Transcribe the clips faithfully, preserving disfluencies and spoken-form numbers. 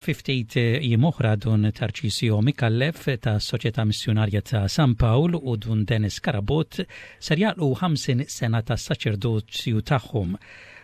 Fi ftit jiem oħra Dun Tarċisio Micallef ta' Soċjetà Missjonarja ta' San Pawl u Dun Dennis Carabott ser jagħlqu ħamsin sena ta' saċerdozju tagħhom.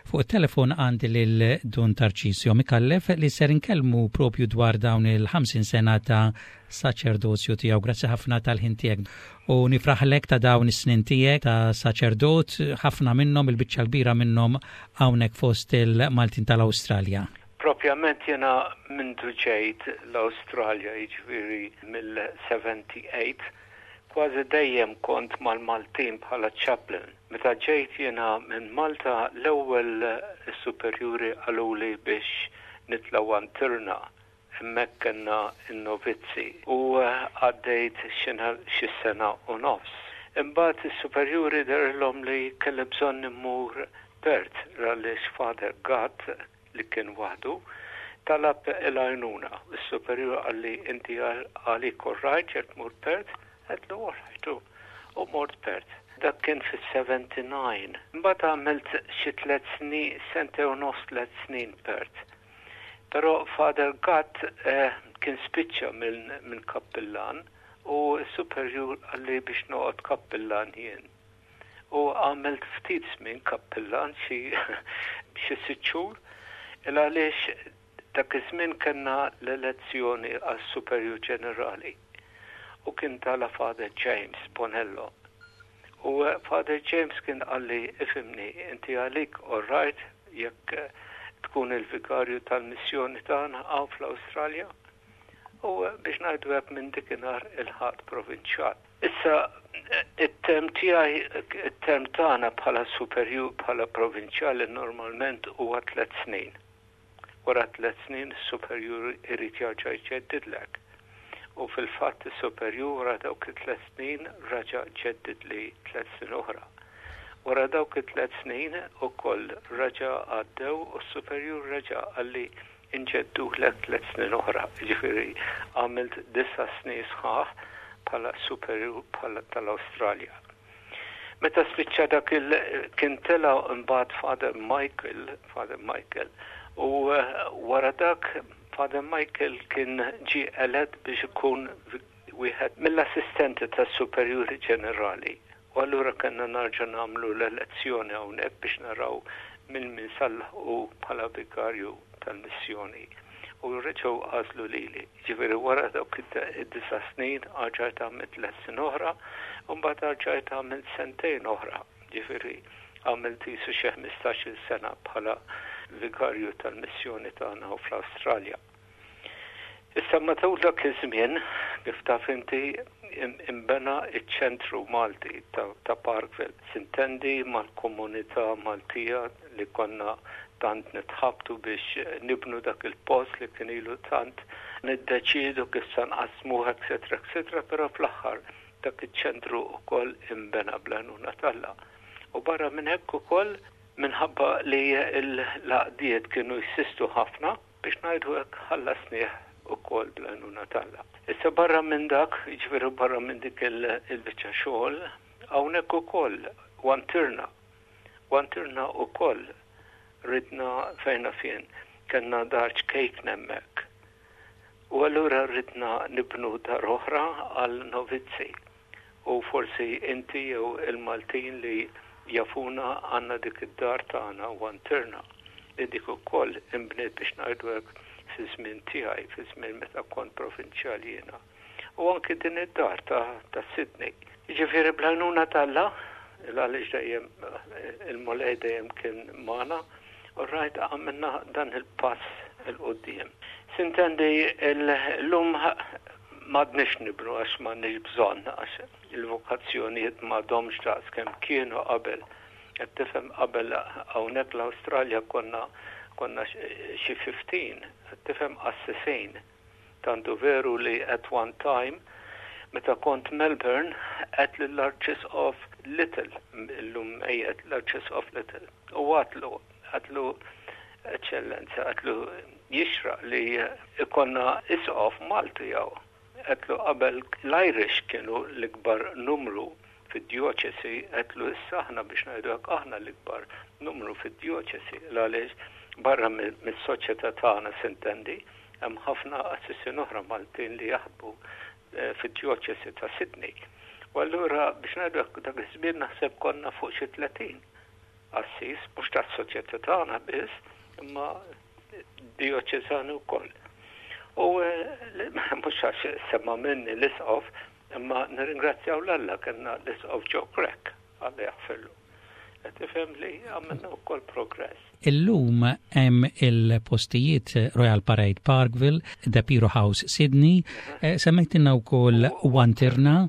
Fuq it-telefon għandi lil Dun Tarċisio Micallef li ser inkellmu propju dwar dawn il-ħamsin sena ta' saċerdozju tiegħu. Grazzi ħafna tal-ħin tiegħek u nifraħlek ta' dawn is-snin tiegħek ta' saċerdot, ħafna minnhom, il-biċċa kbira minnhom, hawnhekk fost il-Maltin tal-Awstralja. Propjament jena mindu ġejt l-Awstralja, jiġifieri mill-sebgħa u sebgħin, kważi dejjem kont mal-Maltin bħala chaplain. Meta ġejt jena minn Malta, l-ewwel superjuri qaluli biex nitla' Wantirna, hemmhekk kellna n-novizzi u għaddejt xi sena u nofs. Imbagħad is-superjuri dehrilhom li kelli bżonn immur Perth għaliex Father Gatt, li kien waħdu, talab il-għajnuna. Il-superjur qalli, "Inti għalik all right jekk tmur Perth?" Għedtlu, "All right," u mort Perth. Dak kien fis-sebgħa u sebgħin. Mbagħad għamilt xi tliet snin, sentejn u nofs, tliet snin Perth. Però Father Gatt eh, kien spiċċa minn min kappillan u s-superjur qalli biex noqgħod kappillan jien. U għamilt ftit żmien kappillan, xi xi sitt xhur, il għaliex dak iż-żmien kellna l-elezzjoni għas superjur ġenerali u kien tala' Father James Bonello. U eh, Father James kien qalli, "Ifhimni, inti għalik all right jekk eh, tkun il-vikarju tal-missjoni tagħna hawn fl-Awstralja?" U eh, biex ngħidu hekk, minn dikinhar ilħaqt provinċjal. Issa it-term tiegħi, it-term tagħna bħala superjur, bħala provinċjali, normalment huwa tliet snin. Wara tliet snin is-superjur irid jarġa' jġeddidlek. U fil-fatt is-superjur wara dawk it-tliet snin raġa' ġeddidli tliet snin oħra. Wara dawk it-tliet snin ukoll raġa' għaddew u s-superjur raġa' qalli inġeddulek tliet snin oħra. Ġifieri għamilt disa' snin sħaħ bħala superjur bħala tal-Awstralja. Meta spiċċa dak il kien tela' mbagħad Father Michael, Father Michael, u eh, wara dak Father Michael kien ġi elett biex ikun wieħed mill-assistenti tas-superjuri ġenerali. U allura kellna nerġa' nagħmlu l-elezzjoni hawnhekk biex naraw minn min sa nlaħħqu bħala vikarju tal-missjoni. U reġgħu għażlu lili. Ġifieri wara dawk id-disa' snin erġajt għamilt tliet snin oħra, u mbagħad erġajt għamilt sentejn oħra. Ġifieri għamilt qisu xi ħmistax-il sena bħala vikarju tal-missjoni tagħna fl-Awstralja. Issa matul dak iż-żmien, kif taf inti, imbena iċ-ċentru Malti ta', ta Parkville. Sintendi mal-komunità Maltija li konna tant nitħabtu biex nibnu dak il-post li kien ilu tant niddeċidu kif sa nqasmuh, et cetera, et cetera, però fl-aħħar dak iċ-ċentru ukoll imbena bl-għajnuna t'Alla. U barra minn hekk ukoll, minħabba li l-għaqdiet kienu jinsistu ħafna, biex ngħidu hekk, ħallasnieh ukoll bl-għajnuna t'Alla. Issa barra minn dak, jiġifieri barra minn dik il-biċċa xogħol, hawnhekk ukoll Wantirna. Wantirna ukoll ridna fejna fien, kellna dar ċkejkna hemmhekk. U allura ridna nibnu dar oħra għal novizzi. U forsi inti jew il-Maltin li jafuna, għandna dik id-dar tagħna Wantirna li dik ukoll imbniet, biex ngħidu hekk, fi żmien tiegħi, fi żmien meta kont provinċjali jiena. U anki din id-dar ta', ta' Sydney. Jiġifieri bl-għajnuna t'Alla, għaliex dejjem il-Mulej dejjem kien magħna, u rajt għamilna dan il-pass 'il quddiem. Sintendi, illum m'għadniex nibnu għax m'għandniex bżonn, għax il-vokazzjonijiet m'għadhomx daqs kemm kienu qabel. Qed tifhem, qabel hawnhekk l-Awstralja konna konna xi ħmistax, qed tifhem, qassisin. Tantu veru li at one time, meta kont Melbourne, għedt lill-Arċisqof Little, illum mejjet l-Arċisqof Little, u għedtlu, għedtlu, "Eċċellenza," għedtlu, "jixraq li ikollna isqof Malti hawn." Għedtlu, "Qabel l-Irish kienu l-ikbar numru fid-dioċesi," għedtlu, "issa aħna, biex ngħidu hekk, aħna l-ikbar numru fid-dioċesi," għaliex barra mis-soċjetà tagħna, sintendi, Hemm ħafna qassisin oħra Maltin li jaħdmu eh, fid-djoċesi ta' Sydney. U allura biex ngħidu dak iż-żmien naħseb konna fuq xi tletin qassis, mhux tas-soċjetà tagħna biss, imma dioċesani wkoll. U eh, mhux għax semma minni l-isqof, imma nirringrazzjaw 'l Alla kellna l-isqof Joe Grech, Alla jaħfirlu. Qed tifhem li għamilna wkoll progress. Illum hemm il-postijiet Royal Parade Parkville, De Piro House Sydney, eh, semmejtilna wkoll Wantirna.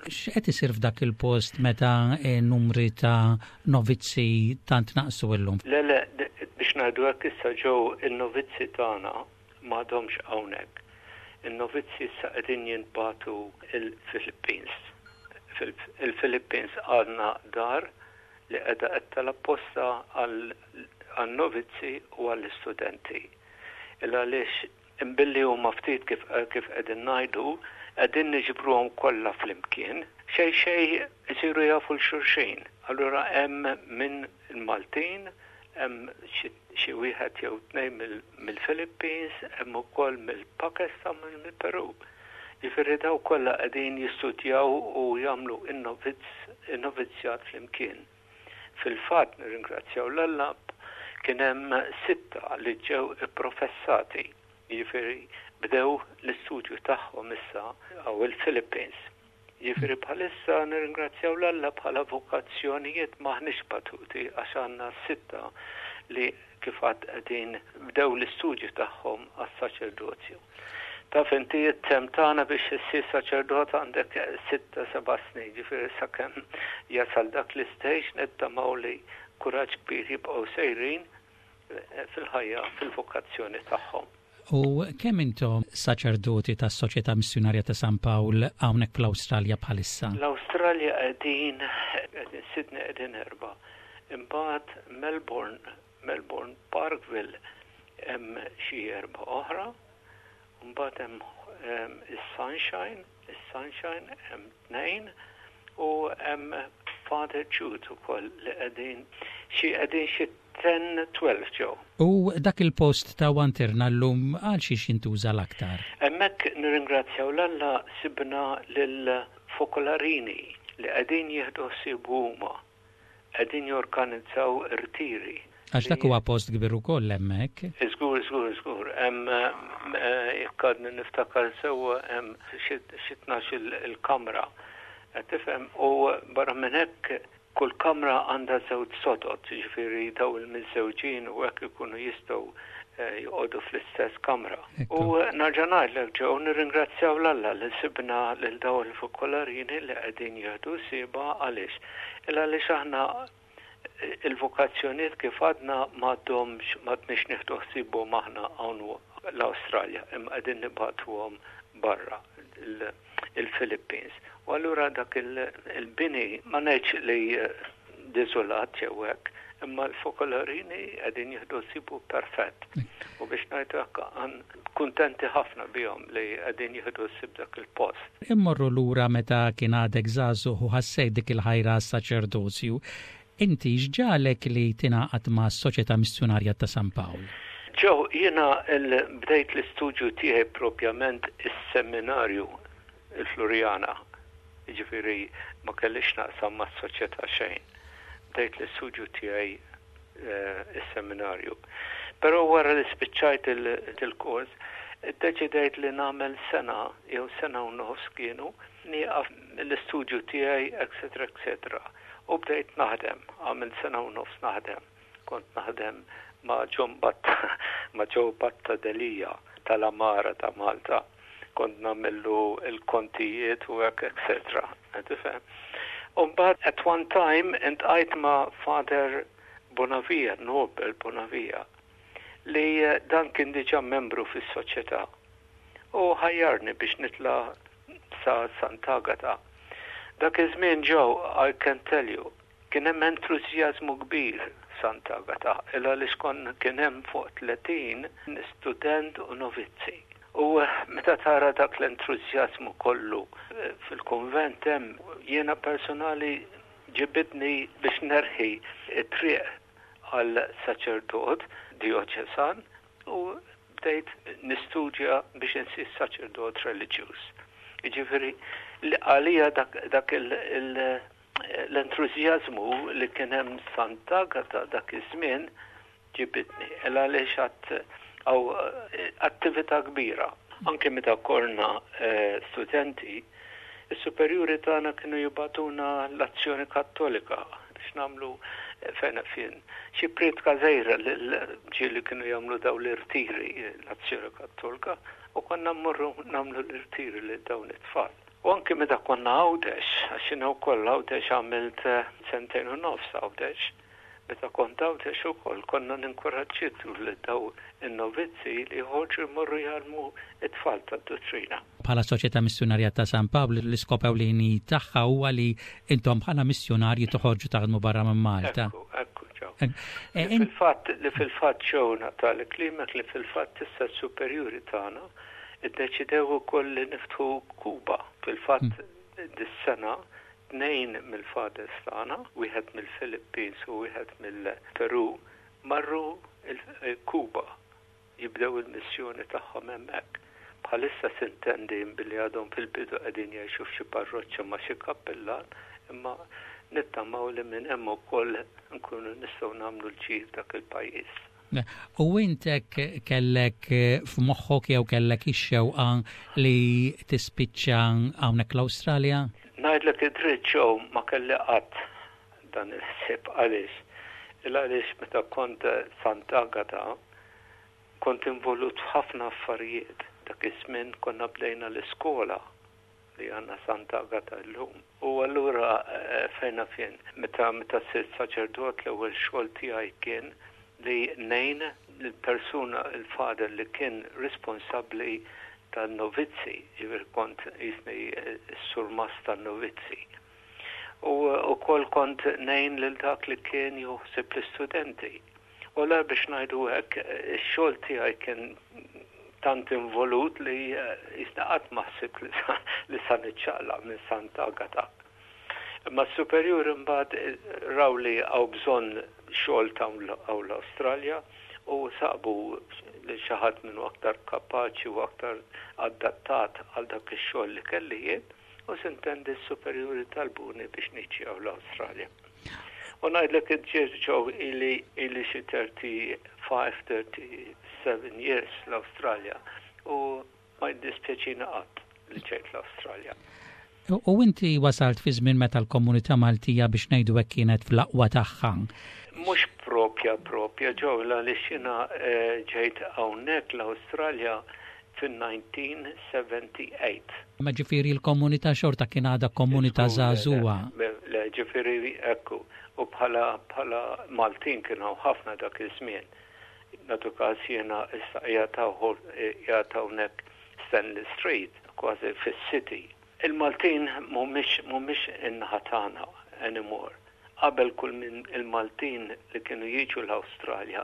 X'qed isir f'dak il-post meta eh, numri ta' novizzi tant naqsu illum? Le, le, biex ngħidu hekk issa ġew in-novizzi tagħna m'għadhomx hawnhekk. In-novizzi issa qegħdin jintbagħtu il-Philippines. Il-Philippines għandna dar li qiegħda qed tal-apposta għal-novizzi u għall-istudenti. Illa għaliex imbilli huma ftit kif kif qegħdin ngħidu, qegħdin niġbruhom kollha flimkien, xejn xejn isiru jafu 'l xulxin. Allura hemm minn il-Maltin, hemm xi wieħed jew tnejn mill-Philippines, hemm ukoll mill-Pakistan, mill-Peru. Ġifieri daw kollha qegħdin jistudjaw u jagħmlu in-novizzjat flimkien. Fil-fatt nirringrazzjaw 'l Alla kien hemm sitta li ġew ipprofessati, jiġifieri bdew l-istudju tagħhom issa hawn il-Philippines. Jiġifieri bħalissa nirringrazzjaw 'l Alla bħala vokazzjonijiet m'aħniex batuti għax għandna sitta li kif għad qegħdin bdew l-istudju tagħhom għas-saċerdozju. Taf inti it-tem tagħna biex issir saċerdot għandek sitta seba' snin, ġifieri sakemm jasal dak l-istage nittamaw li kuraġġ kbir jibqgħu sejrin eh, fil-ħajja, fil-vokazzjoni tagħhom. U kemm intom saċerdoti tas-Soċjetà Missjunarja ta' San Pawl hawnhekk fl-Awstralja bħalissa? L-Awstralja qegħdin qegħdin Sydney qegħdin erba'. Imbagħad Melbourne, Melbourne Parkville hemm xi erba' oħra. Mbagħad hemm is-Sunshine, is-Sunshine hemm tnejn u hemm Father Jude ukoll li qegħdin xi qegħdin xi ten twelve ġew. U dak il-post ta' Wantirna llum għal xiex jintuża l-aktar? Hemmhekk nirringrazzjaw 'l Alla sibna lil fokolarini li qegħdin jieħdu ħsieb huma, qegħdin jorganizzaw irtiri. Għax dak huwa post kbir ukoll hemmhekk. Żgur, żgur, żgur. Hemm eh, jekk għadni niftakar sewwa hemm xi tnax il-kamra. Qed tifhem u barra minn hekk kull kamra għandha żewġ sodod, ġifieri daw il-miżżewġin u hekk ikunu jistgħu eh, joqogħdu fl-istess kamra. U nerġa' ngħidlek ġew nirringrazzjaw 'l Alla li sibna lil daw il-fokolarini li qegħdin jieħdu ħsiebha għaliex. Il għaliex aħna il-vokazzjoniet kif għadna m'għadhomx m'għadniex nieħdu ħsiebhom aħna hawn l-Awstralja, imma qegħdin nibagħtuhom barra il-Philippines. U allura dak il-bini ma ngħidx li deżolat jew hekk, imma l-fokolarini qegħdin jieħdu ħsiebu perfett. U biex ngħidu hekk kuntenti ħafna bihom li qegħdin jieħdu ħsieb dak il-post. Immorru lura meta kien għadek żagħżugħ u ħassejt dik il-ħajra saċerdozju. Inti x'ġagħlek li tingħaqad ma' Soċjetà Missjunarja ta' San Pawl? Ġew, jiena bdejt l-istudju tiegħi propjament is-seminarju il-Floriana. Ġifieri ma kellix naqsam ma' soċjetà xejn. Bdejt l-istudju tiegħi eh, is-seminarju. Però wara li spiċċajt il-kors, iddeċidejt li nagħmel sena jew sena u nofs kienu nieqaf l-istudju tiegħi, eċetera, eċetera. U bdejt naħdem, għamil sena u nofs naħdem. Kont naħdem ma' John Batta, ma' Joe Batta Delia tal-Amara ta' Malta. Kont nagħmillu il-kontijiet u hekk, eċetera. Tifhem? U mbagħad at one time iltqajt ma' Father Bonavia, Nobel Bonavia, li dan kien diġà membru fis-soċjetà. U ħajjarni biex nitla' sa Sant'Agata. Dak iż-żmien ġew, I can tell you, kien hemm entużjażmu kbir Sant'Agata, illa għaliex kon kien hemm fuq tletin student u novizzi. U meta tara dak l-entużjażmu kollu eh, fil-konvent hemm, jiena personali ġibidni biex nerħi it-triq għal saċerdot dioċesan u bdejt nistudja biex insir saċerdot reliġjuż. Jiġifieri li għalija dak, dak l-entużjażmu li kien hemm Sant'Agata dak iż-żmien ġibidni. Għaliex għad hawn attività kbira. Anke meta konna eh, studenti, is-superjuri tagħna kienu jibagħtuna l-Azzjoni Kattolika biex nagħmlu eh, fejn fien xi priedka żgħira ġieli kienu jagħmlu daw l-irtiri l-Azzjoni Kattolika u konna mmorru nagħmlu l-irtiri lil dawn it-tfal. U anke meta konna Għawdex, għax jiena wkoll Għawdex għamilt eh, sentejn u nofs Għawdex, meta kont Għawdex ukoll konna ninkoraġġitu li daw in-novizzi li joħorġu jmorru jgħallmu it-tfal tad-dottrina. Bħala Soċjetà Missjonarja ta' San Pawl, l-iskop ewlieni tagħha huwa li intom bħala missjonarji toħorġu taħdmu barra minn Malta. Ekku, ekku, ġew. Eh, li fil-fatt li fil-fatt ġewna tal-klimek li fil-fatt issa superjuri tagħna iddeċidew ukoll li niftħu Kuba. Fil-fatt hmm. dis-sena tnejn mill-fathers tagħna, wieħed mill-Philippines u wieħed mill-Peru, marru Kuba jibdew il-missjoni tagħhom hemmhekk. Bħalissa sintendi billi għadhom fil-bidu qegħdin jgħixu f'xi parroċċa ma' xi kappellan, imma nittamaw li minn hemm ukoll nkunu nistgħu nagħmlu l-ġid dak il-pajjiż. U intek kellek f'moħħok jew kellek ix-xewqa li tispiċċa hawnhekk l-Awstralja? Ngħidlek id-dritt, ġew, ma kelli qatt dan il-ħsieb. Għaliex? Il-għaliex meta kont Sant'Agata kont involut f'ħafna affarijiet. Dak iż-żmien konna bdejna l-iskola li għandna Sant'Agata llum. U allura eh, fejna fien, meta meta sirt saċerdot, l-ewwel xogħol tiegħi kien li ngħin l-persuna, il-father li kien responsabbli tan-novizzi, ġifieri kont jisni s-surmast tan-novizzi. U ukoll kont ngħin lil dak li kien juħsib l-istudenti. U la biex ngħidu hekk, ix-xogħol tiegħi kien tant involut li jisna qatt ma ħsibt li sa niċċaqlaq minn Santa Agata. Imma s-superjuri mbagħad raw li hawn bżonn xogħol ta' hawn l-Awstralja u sabu li xi ħadd minnu aktar kapaċi u aktar adattat għal dak ix-xogħol li kelli jien u sintendi s-superjuri talbuni biex niġi hawn l-Awstralja. U ngħidlek id-ġew ili ili xi thirty-five, thirty-seven years l-Awstralja u ma jiddispjaċini qatt li ġejt l-Awstralja. U inti wasalt fi żmien meta l-komunità Maltija, biex ngħidu hekk, kienet fl-aqwa tagħha. Mhux propja propja, ġew, għaliex jiena eh, ġejt hawnhekk l-Awstralja fin-nineteen seventy-eight. Ma ġifieri l-komunità xorta kien għadha komunità żagħżugħa. Le, ġifieri ekku, u bħala bħala Maltin kienu ħafna dak iż-żmien. Nagħtu każ jiena issa qiegħed hawnhekk Stanley Street, kważi fis-city. Il-Maltin mhumiex mhumiex in-naħa tagħna anymore. Qabel kull minn il-Maltin li kienu jiġu l-Awstralja,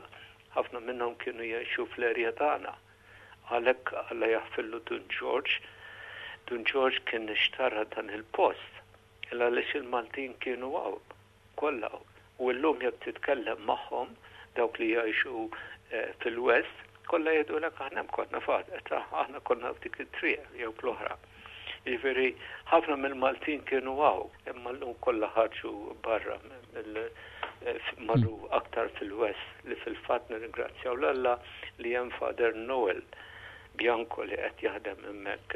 ħafna minnhom kienu jgħixu fl-erja tagħna. Għalhekk, Alla jaħfirlu Dun George, Dun George kien ixtara dan il-post. Illa għaliex il-Maltin kienu hawn, kollha. U llum jekk titkellem magħhom dawk li jgħixu eh, fil-West, kollha jgħidulek aħna konna fad, aħna konna f'dik it-triq jew fl-oħra. Jiġifieri ħafna mill-Maltin kienu hawn, imma llum kollha ħarġu barra, eh, marru aktar fil-West, li fil-fatt nirringrazzjaw 'l Alla li hemm Father Noel Bianco li qed jaħdem hemmhekk.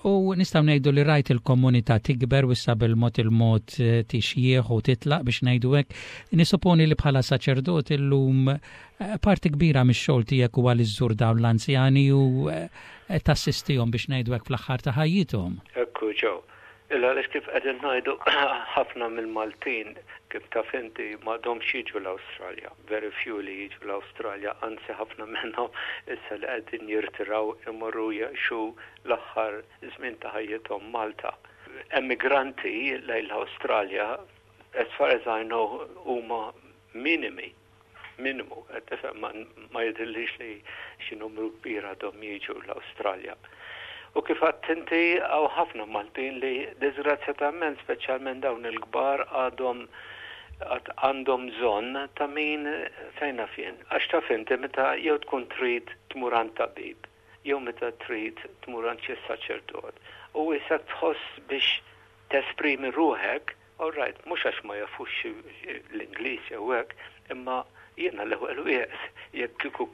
U nistgħu ngħidu li rajt il-komunità tikber u issa bil-mod il-mod eh, tixjieħ u titlaq, biex ngħidu hekk. Nisuponi li bħala saċerdot illum eh, parti kbira mix-xogħol tiegħek huwa li żżur dawn l-anzjani u eh, tassistihom, biex ngħidu hekk, fl-aħħar ta' ħajjithom. Ekku, ġew. Illa għaliex kif qegħdin ngħidu, ħafna mill-Maltin, kif taf inti, m'għadhomx jiġu l-Awstralja. Very few li jiġu l-Awstralja, anzi ħafna minnhom issa li qegħdin jirtiraw imorru jgħixu l-aħħar żmien ta' ħajjithom Malta. Emigranti lejn l-Awstralja, as far as I know, huma minimi minimu, tifhem, ma jidhirlix li xi numru kbir għadhom jiġu l-Awstralja. U kif għedt inti, hawn ħafna Maltin li disgrazzjatament, speċjalment dawn il-kbar, għadhom Għad għandhom bżonn ta' min fejn naf jien. Għax taf inti meta jew tkun trid tmur għand tabib, jew meta trid tmur għand xi saċerdot. U issa tħoss biex tesprimi ruħek, all right, mhux għax ma jafux l-Ingliż jew hekk, imma jiena l-ewwel wieħed jekk kieku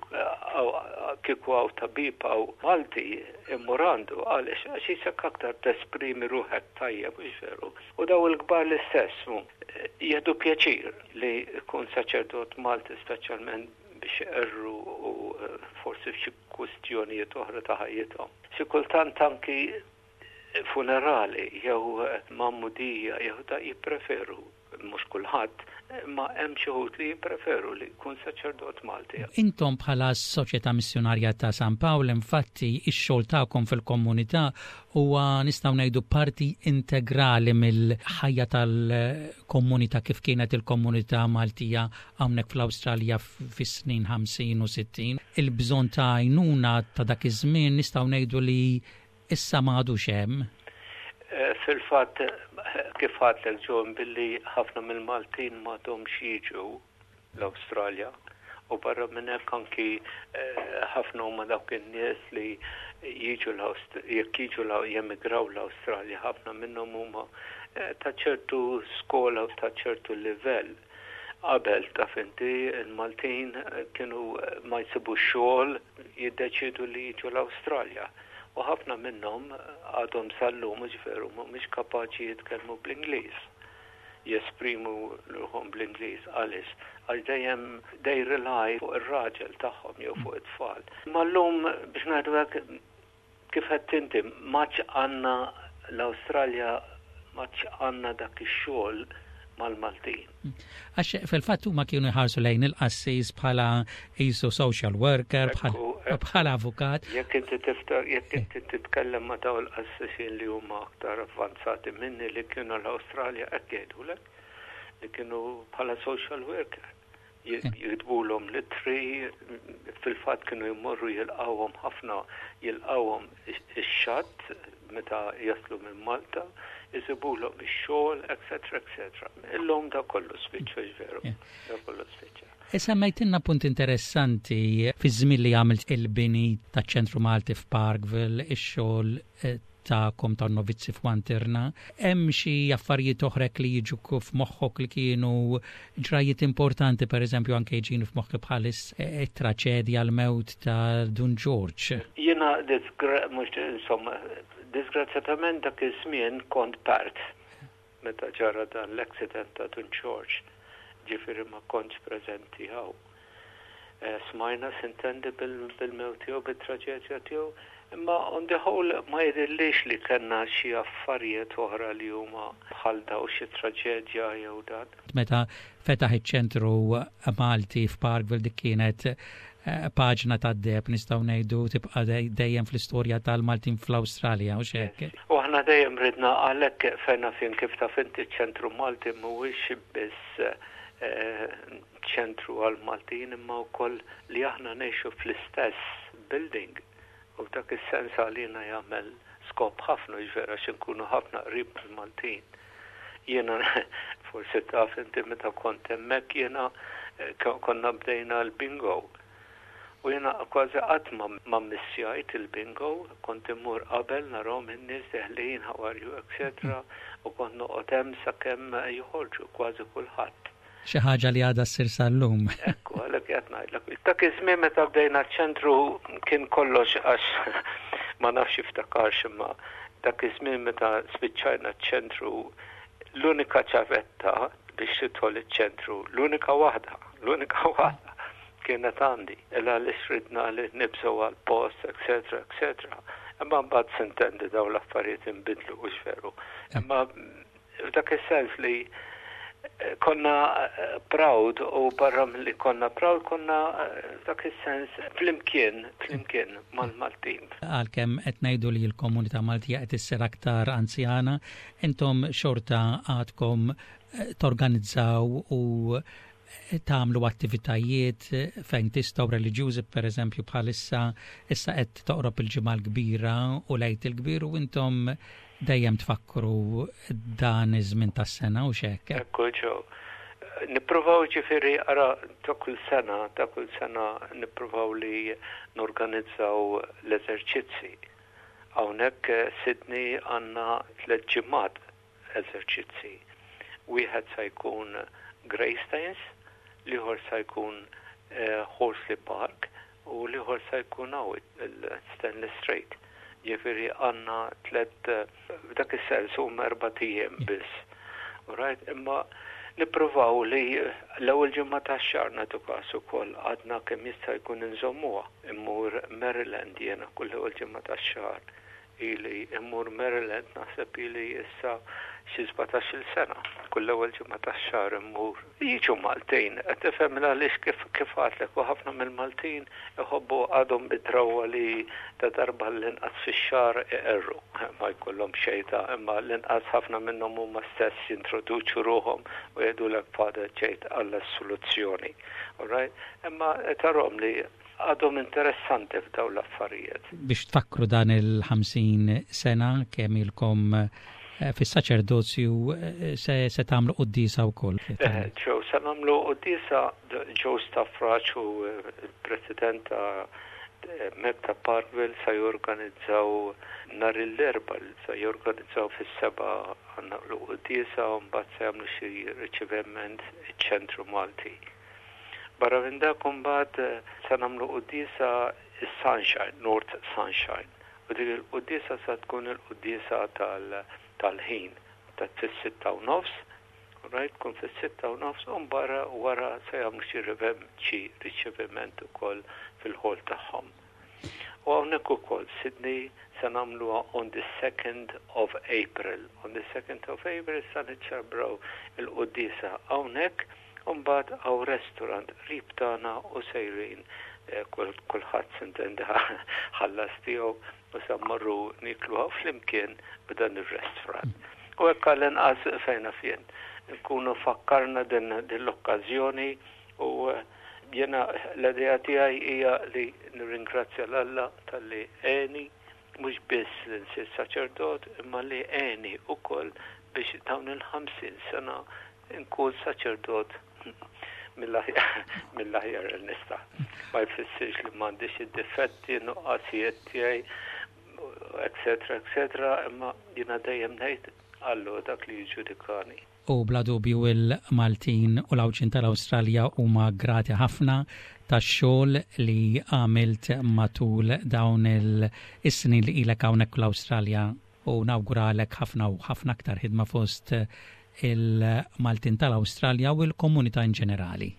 kieku hawn tabib hawn Malti immur għandu għaliex għax jisek aktar tesprimi ruħek tajjeb, mhux veru. U daw il-kbar l-istess jieħdu pjaċir li jkun saċerdot Malti speċjalment biex iqerru u forsi f'xi kwistjonijiet oħra ta' ħajjithom. Xi kultant anki funerali jew magħmudija jew da jippreferu mhux kulħadd, ma hemm xi wħud li jippreferu li jkun saċerdot Malti. Intom bħala Soċjetà Missjonarja ta' San Pawl, infatti, ix-xogħol tagħkom fil-komunità huwa nistgħu ngħidu parti integrali mill-ħajja tal-komunità kif kienet il-komunità Maltija hawnhekk fl-Awstralja fis-snin ħamsin u sittin. Il-bżonn ta' għajnuna ta' dak iż-żmien nistgħu ngħidu li issa m'għadux hemm. Eh, fil-fatt, kif għedtlek John, billi ħafna mill-Maltin m'għadhomx jiġu l-Awstralja u barra minn hekk anki eh, ħafna huma dawk in-nies li jiġu jekk jiġu jemigraw l-Awstralja ħafna minnhom huma eh, ta' ċertu skola u ta' ċertu livell. Qabel taf inti il-Maltin kienu ma jsibu xogħol jiddeċidu li jiġu l-Awstralja. U ħafna minnhom għadhom sal-lum veru mhumiex kapaċi jitkellmu bl-Ingliż. Jesprimu ruħhom bl-Ingliż għaliex għax dejjem they rely fuq ir-raġel tagħhom jew fuq it-tfal. Ma llum biex ngħidu hekk kif qed inti m'għadx għandna l-Awstralja m'għadx għandna dak ix-xogħol mal-Maltin. Għax fil-fatt huma kienu jħarsu lejn il-qassis bħala qisu social worker, bħala avukat. Jekk inti tifta, jekk inti titkellem ma' daw il-qassisin li huma aktar avvanzati minni li kienu l-Awstralja hekk jgħidulek li kienu bħala social worker. Jiktbulhom l-ittri, fil-fatt kienu jmorru jilqawhom ħafna, jilqawhom ix-xatt meta jaslu minn Malta, jisibulhom ix-xogħol, et cetera, et cetera. Illum da kollu spiċċa veru. Da kollu spiċċa. Semmejtilna punt interessanti fi żmien li għamilt il-bini taċ-ċentru Malti f'Parkville, ix-xogħol eh, tagħkom tan-novizzi f'Wantirna. Hemm xi affarijiet oħra li jiġu f'moħħok li kienu ġrajiet importanti, per eżempju anke jiġini f'moħħi bħalis eh, it-traċedja l-mewt ta' Dun George. Jiena mhux insomma, disgrazzjatament dak iż-żmien kont Perth meta ġara dan l-accident ta' Dun George. Ġifieri ma kontx preżenti hawn. Eh, smajna sintendi bil-mewt tiegħu, bit-traġedja tiegħu, imma on the whole ma jidhirlix li kellna xi affarijiet oħra li huma bħal daw xi traġedja jew dan. Meta fetaħ iċ-ċentru Malti f'Parkville dik kienet eh, paġna ta' deheb nistgħu ngħidu tibqa' dejjem fl-istorja tal-Maltin fl-Awstralja u hekk. U aħna dejjem ridna għalhekk fejn fin kif taf inti ċentru Malti mhuwiex biss eh, ċentru għal-Maltin imma wkoll li aħna ngħixu fl-istess building u dak is-sens għalina jagħmel skop ħafna ġvera x'inkunu ħafna qrib mal-Maltin. Jiena forsi taf inti meta kont hemmhekk jiena eh, konna bdejna l-bingo. U jiena kważi qatt ma missjajt il-bingo, kont immur qabel narahom in-nies deħlin, how are you, et cetera. U kont noqgħod hemm sakemm joħorġu kważi kulħadd. Xi ħaġa li għadha ssir sal-lum. Ekku, għalhekk qed ngħidlek. Dak iż-żmien meta bdejna ċ-ċentru kien kollox għax ma nafx iftakarx imma dak iż-żmien meta spiċċajna ċ-ċentru l-unika ċavetta biex tidħol iċ-ċentru, l-unika waħda, l-unika waħda kienet għandi. Illa li ridna li nibżgħu għal-post, et cetera, et cetera. Imma mbagħad sintendi daw l-affarijiet inbidlu u veru. Imma f'dak is-sens li konna eh, proud u barra li konna proud konna eh, f'dak is-sens flimkien, flimkien mal-Maltin. Għalkemm qed ngħidu li l-komunità Maltija qed issir aktar anzjana, intom xorta għadkom eh, torganizzaw u tagħmlu attivitajiet fejn tistgħu reliġjużi per eżempju bħalissa issa qed toqrob il-ġimgħa l-kbira u l-Għid il-kbir u intom dejjem tfakkru dan iż-żmien tas-sena u hekk. Ekku ġew. Nippruvaw, ġifieri, ara, ta' kull sena, ta' kull sena nippruvaw li norganizzaw l-eżerċizzi. Hawnhekk eh, Sydney għandna tliet ġimgħat eżerċizzi. Wieħed sa jkun Greystanes, l-ieħor sa jkun eh, Horsley Park u l-ieħor sa jkun hawn il-Stanley Street. Ġifieri għandna tliet, eh, f'dak is-sens huma erbat ijiem biss. Right, imma nippruvaw li l-ewwel ġimgħa tax-xahar nagħtu każ ukoll, għadna kemm jista' jkun inżommuha. Immur Maryland jiena kull ewwel ġimgħa tax-xahar. Ili immur Maryland, naħseb ili issa xi sbatax-il sena. Kull ewwel ġimgħa tax-xahar immur. Jiġu Maltin, qed tifhem għaliex, kif kif għedtlek, u ħafna mill-Maltin iħobbu, għadhom bid-drawwa li ta' darba l-inqas fix-xahar iqerru. Ma jkollhom xejta, imma l-inqas ħafna minnhom huma stess jintroduċu ruħhom u jgħidulek, "Father, ġejt għall-assoluzzjoni." Alright? Imma tarahom li għadhom interessanti f'dawn l-affarijiet. Biex tfakru dan il-ħamsin sena kemm ilkom eh, fis-saċerdozju, eh, se, se tagħmlu quddiesa wkoll. Eh, Ġew, se nagħmlu quddiesa. Joe Stafraċ u il-president ta' Mekta Parkville sa jorganizzaw nhar l-Erbgħa, sa jorganizzaw fis-sebgħa għandna l-quddiesa u mbagħad se jagħmlu xi riċeviment iċ-ċentru Malti. Barra minn dak, mbagħad eh, se nagħmlu quddiesa is-Sunshine, North Sunshine. U dik il-quddiesa sa tkun il-quddiesa tal-ħin ta' fis-sitta u nofs, right, tkun fis-sitta u nofs, u barra wara se jagħmlu xi rivem xi riċeviment ukoll fil-hall tagħhom. U hawnhekk ukoll Sydney se nagħmluha on the second of April. On the second of April sa niċċelebraw il-quddiesa hawnhekk, u mbagħad hawn restaurant qrib tagħna u sejrin eh, kulħadd, s'intendi, ħallas tiegħu u sa mmorru nikluha flimkien b'dan ir-restaurant. U hekk għall-inqas fejna fien nkunu fakkarna din din l-okkażjoni u eh, jena l-idea tiegħi hija li nirringrazzja 'l Alla talli għeni mhux biss li nsir saċerdot, imma li għeni ukoll biex dawn il-ħamsin sena nkun saċerdot mill-aħjar il nista. Ma jfissirx li m'għandix id-difetti, nuqqasijiet tiegħi, eccetera, eccetera, imma jiena dejjem ngħid Alla dak li jiġġudikani. U bla dubju il-Maltin u l-Għawdxin tal-Awstralja huma grati ħafna tax-xogħol li għamilt matul dawn il-snin li ilek hawnhekk l-Awstralja u nawguralek ħafna u ħafna aktar ħidma fost il-Maltin tal-Awstralja u l-komunità in ġenerali.